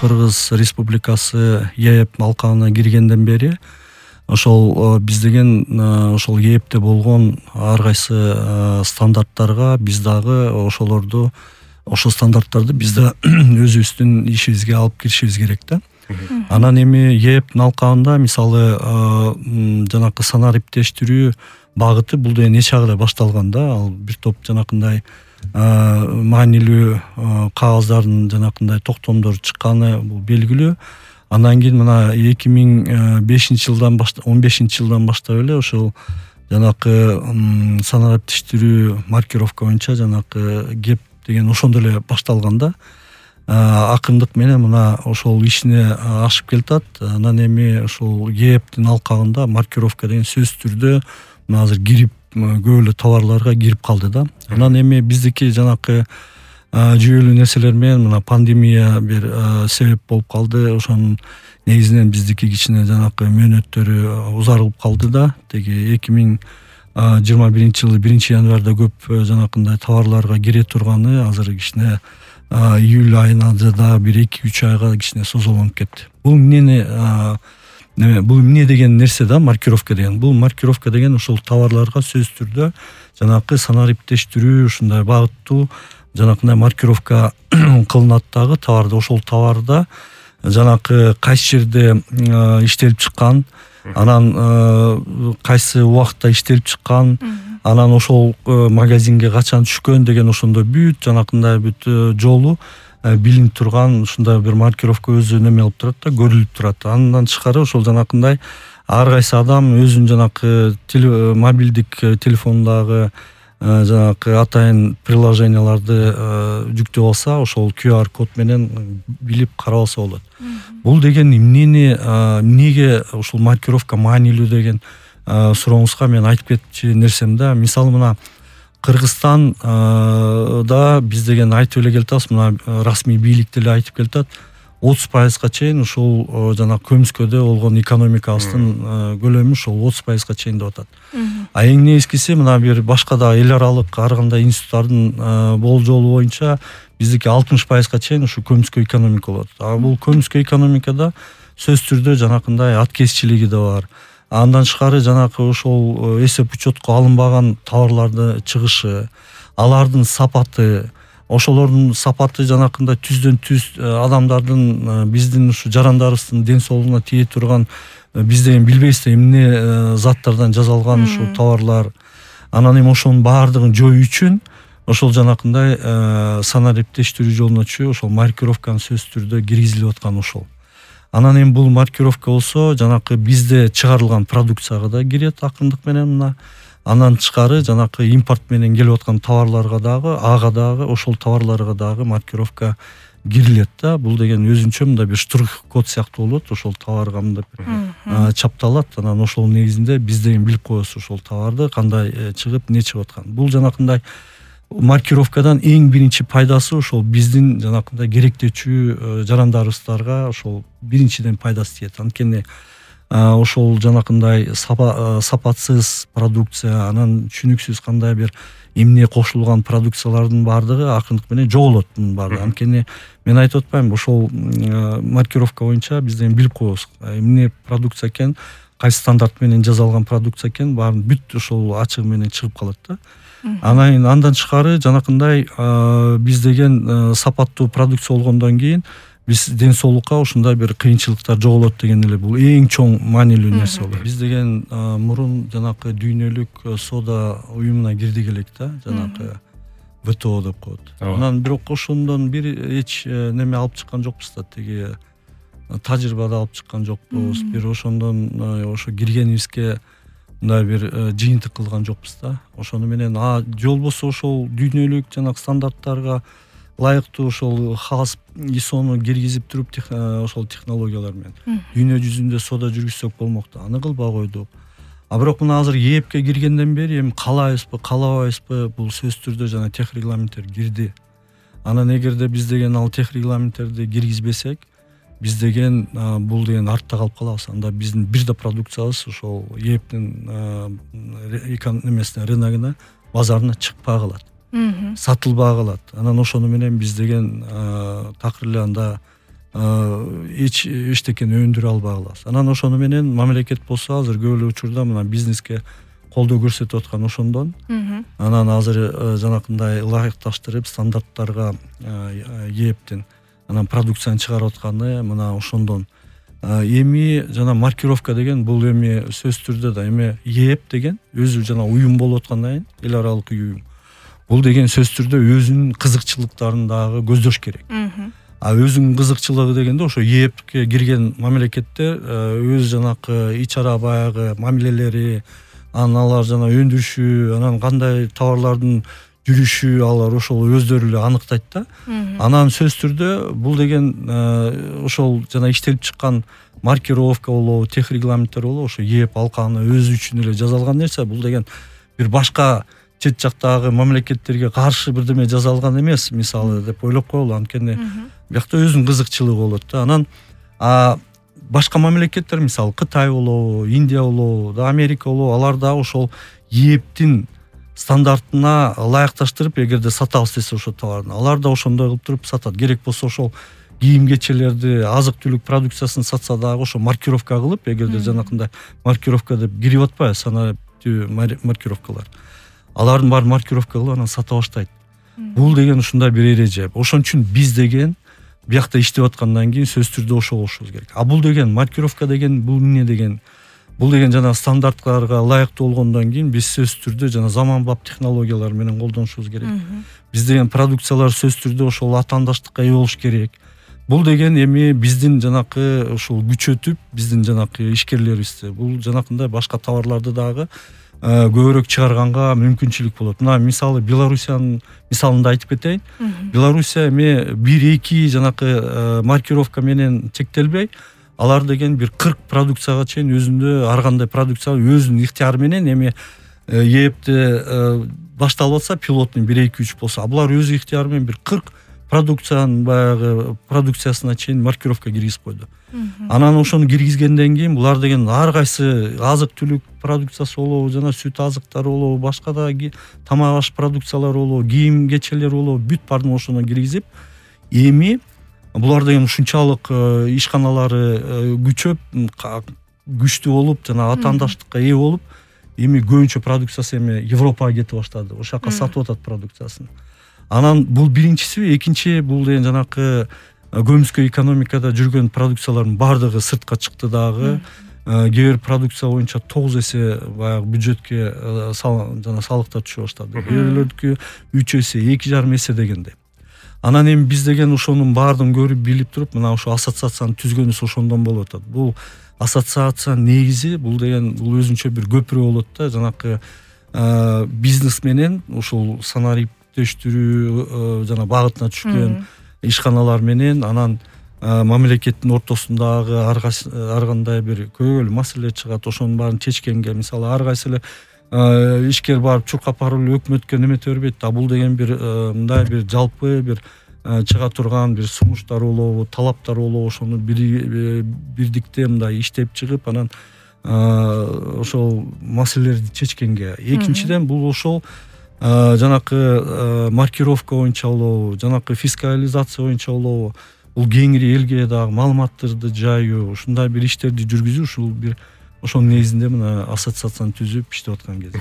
Кыргыз Республикасы ЕЭП алкагына киргенден бери ошол биз деген ошол ЕЭПте болгон ар кайсы стандарттарга биз дагы ошол стандарттарды биз да өзүбүздүн ишибизге алып киришибиз керек да. Анан эми ЕЭПтин алкагында мисалы жанакы санариптештирүү багыты бул деген нече айда башталган да. Ал бир топ жанакындай маанилүү кагаздардын жанакындай токтомдор чыкканы бул белгилүү. Андан кийин мына 2015-жылдан 15-жылдан баштап эле ошол жанакы санариптештирүү маркировка боюнча жанакы кеп деген ошондо эле башталган да. Акырындык менен мына ошол ишине ашып келатат. Анан эми ошол ЕЭПтин алкагында маркировка деген сөзсүз түрдө мына азыр кирип көп эле товарларга кирип калды да. Анан эми биздики жанакы жүйөлүү нерселер менен мына пандемия бир себеп болуп калды. Ошонун негизинен биздики кичине жанакы мөөнөттөрү узарылып калды да. Теги 2021-жылы 1-январда көп жанакындай товарларга кире турганы азыр кичине июль айына да бир 2-3 айга кичине созулуп кетти. Бул эмне деген нерсе да маркировка деген. Бул маркировка деген ошол товарларга сөзсүз түрдө жанакы санариптештирүү ушундай багыттуу жанакындай маркировка кылынат дагы товарда. Ошол товарда жанакы кайсы жерде иштелип чыккан, анан кайсы убакытта иштелип чыккан, анан ошол магазинге качан түшкөн деген ошондой бүт жанакындай бүт жолу билинип турган ушундай бир маркировка өзү неме кылып турат да, көрүлүп турат. Андан тышкары ошол жанакындай ар кайсы адам өзүнүн жанакы мобилдик телефондагы жанакы атайын приложенияларды жүктөп алса, ошол QR код менен билип карап алса болот. Бул деген эмнеге ушул маркировка маанилүү деген сурооңузга мен айтып кетчү нерсем да. Мисалы мына Кыргызстан да биз деген айтып эле келатабыз, мына расмий бийлик деле айтып келатат. 30%га чейин ушул жана көмүскөдө болгон экономикабыздын көлөмү ушул 30%га чейин деп атат. А эң негизгиси мына бир башка да эл аралык ар кандай институттардын болжолу боюнча биздики 60%га чейин ушу көмүскө экономика болот. А бул көмүскө экономикада сөзсүз түрдө жанакындай аткезчилиги да бар. Андан тышкары жанакы ошол эсеп учетко алынбаган товарларды чыгышы, алардын сапаты, ошолордун сапаты жанакындай түздөн түз адамдардын биздин ушу жарандарыбыздын ден соолугуна тие турган биз деген билбейбиз да эмне заттардан жасалган ушул товарлар. Анан эми ошонун баардыгын жоюу үчүн ошол жанакындай санариптештирүү жолуна түшүп ошол маркировканы сөзсүз түрдө киргизилип аткан ошол. Анан эми бул маркировка болсо жанакы бизде чыгарылган продукцияга да кирет акырындык менен мына. Андан тышкары жанакы импорт менен келип аткан товарларга дагы ошол товарларга дагы маркировка кирилет да. Бул деген өзүнчө мындай бир штрих код сыяктуу болот. Ошол товарга мындай чапталат. Анан ошол негизинде биз деген билип коебуз ошол товарды кандай чыгып, эмне чыгып аткан. Бул жанакындай маркировкадан эң биринчи пайдасы ошол биздин жанакындай керектечүү жарандарыбыздарга ошол биринчиден пайдасы тиет. Анткени ошол жанакындай сапатсыз продукция, анан түшүнүксүз кандай бир эмне кошулган продукциялардын баардыгы акырындык менен жоголот мунун баардыгы. Анткени мен айтып атпаймынбы, ошол маркировка боюнча биз деген билип коебуз эмне продукция экен, кайсы стандарт менен жасалган продукция экен, баарын бүт ошол ачыгы менен чыгып калат да. Андан тышкары жанакындай биз деген сапаттуу продукция болгондон кийин биз ден соолукка ушундай бир кыйынчылыктар жоголот деген эле бул эң чоң маанилүү нерсе болот. Биз деген мурун жанакы дүйнөлүк сода уюмуна кирдик элек да, жанакы ВТО деп коет. Анан бирок ошондон бир эч неме алып чыккан жокпуз да, теги тажрыйба да алып чыккан жокпуз. Бир ошондон ошо киргенибизге мындай бир жыйынтык кылган жокпуз да. Ошону менен же болбосо ошол дүйнөлүк жанакы стандарттарга ылайыктуу ошол ХАСП ISOну киргизип туруп ошол технологиялар менен дүйнө жүзүндө сода жүргүзсөк болмок да. Аны кылбай койдук. А бирок мына азыр ЕЭПке киргенден бери эми каалайбызбы, каалабайбызбы, бул сөзсүз түрдө жана тех регламенттер кирди. Анан эгерде биз деген ал тех регламенттерди киргизбесек, биз деген бул деген артта калып калабыз. Анда биздин бир да продукциябыз ошол ЕЭПтин эмесине, рыногуна, базарына чыкпай калат. Сатылбай калат. Анан ошону менен биз деген такыр эле анда эчтекени өндүрө албай калабыз. Анан ошону менен мамлекет болсо азыр көп эле учурда мына бизнеске колдоо көрсөтүп аткан ошондон. Анан азыр жанакындай ылайыкташтырып стандарттарга ээптин анан продукцияны чыгарып атканы мына ошондон. Эми жана маркировка деген бул эми сөзсүз түрдө да эми ээп деген өзү жана уюм болуп аткандан кийин эл аралык уюм. Бул деген сөзсүз түрдө өзүнүн кызыкчылыктарын дагы көздөш керек. Өзүнүн кызыкчылыгы дегенде ошо ээпке кирген мамлекеттер өз жанакы ич ара баягы мамилелери, анан алар жана өндүрүшү, анан кандай товарлардын жүрүшү алар ошол өздөрү эле аныктайт да. Анан сөзсүз түрдө бул деген ошол жана иштелип чыккан маркировка болобу, техрегламенттер болобу, ошо ээп алканы өзү үчүн эле жасалган нерсе. Бул деген бир башка чет жактагы мамлекеттерге каршы бирдеме жасалган эмес, мисалы деп ойлоп коелу. Анткени биякта өзүнүн кызыкчылыгы болот да. Анан башка мамлекеттер, мисалы Кытай болобу, Индия болобу, Америка болобу, алар да ошол ээптин стандартына ылайыкташтырып, эгерде сатабыз десе ошо товарын, алар да ошондой кылып туруп сатат. Керек болсо ошол кийим-кечелерди, азык-түлүк продукциясын сатса дагы ошо маркировка кылып, эгерде жанакындай маркировка деп кирип атпайбы, санариптүү маркировкалар. Алардын баарын маркировка кылып анан сата баштайт. Бул деген ушундай бир эреже. Ошон үчүн биз деген биякта иштеп аткандан кийин сөзсүз түрдө ошо болушубуз керек. Бул деген маркировка деген бул эмне деген? Бул деген жана стандарттарга ылайыктуу болгондон кийин биз сөзсүз түрдө жана заманбап технологиялар менен колдонушубуз керек. Биз деген продукциялар сөзсүз түрдө ошол атаандаштыкка ээ болуш керек. Бул деген эми биздин жанакы ошол күчөтүп, биздин жанакы ишкерлерибизди бул жанакындай башка товарларды дагы көбүрөөк чыгарганга мүмкүнчүлүк болот. Мына мисалы Белоруссиянын мисалында айтып кетейин. Белоруссия эми 1-2 жанакы маркировка менен чектелбей, алар деген бир 40 продукцияга чейин өзүндө ар кандай продукция өзүнүн ыктыяры менен эми ээпте башталып атса, пилотный 1-2-3 болсо, булар өз ыктыяры менен бир 40 продукциянын баягы продукциясына чейин маркировка киргизип койду. Анан ошону киргизгенден кийин булар деген ар кайсы азык-түлүк продукциясы болобу, жана сүт азыктары болобу, башка да тамак аш продукциялары болобу, кийим-кечелер болобу, бүт баарын ошондон киргизип, эми булар деген ушунчалык ишканалары күчөп, күчтүү болуп, жана атаандаштыкка ээ болуп, эми көбүнчө продукциясы эми Европага кетип баштады. Ошол жака сатып атат продукциясын. Анан бул биринчиси, экинчи бул деген жанакы көмүскө экономикада жүргөн продукциялардын баардыгы сыртка чыкты дагы. Кээ бир продукция боюнча 9 эсе баягы бюджетке жана салыктар түшө баштады. Кээ бирлердики 3 эсе, 2,5 эсе дегендей. Анан эми биз деген ошонун баардыгын көрүп билип туруп, мына ошо ассоциацияны түзгөнүбүз ошондон болуп атат. Бул ассоциациянын негизи бул деген бул өзүнчө бир көпүрө болот да, жанакы бизнес менен ошол санариптештирүү жана багытына түшкөн ишканалар менен, анан мамлекеттин ортосундагы ар кандай бир көбөлүү маселелер чыгат. Ошонун баарын чечкенге, мисалы ар кайсы эле ишкер барып чуркап барып өкмөткө немете бербейт. Бул деген бир мындай бир жалпы бир чыга турган бир сунуштар болобу, талаптар болобу, ошону бирдикте мындай иштеп чыгып, анан ошол маселелерди чечкенге. Экинчиден бул ошол жанакы маркировка боюнча болобу, жанакы фискализация боюнча болобу, бул кеңири элге дагы маалыматтарды жайуу, ушундай бир иштерди жүргүзүү, ушул бир ошонун негизинде мына ассоциацияны түзүп иштеп аткан кез.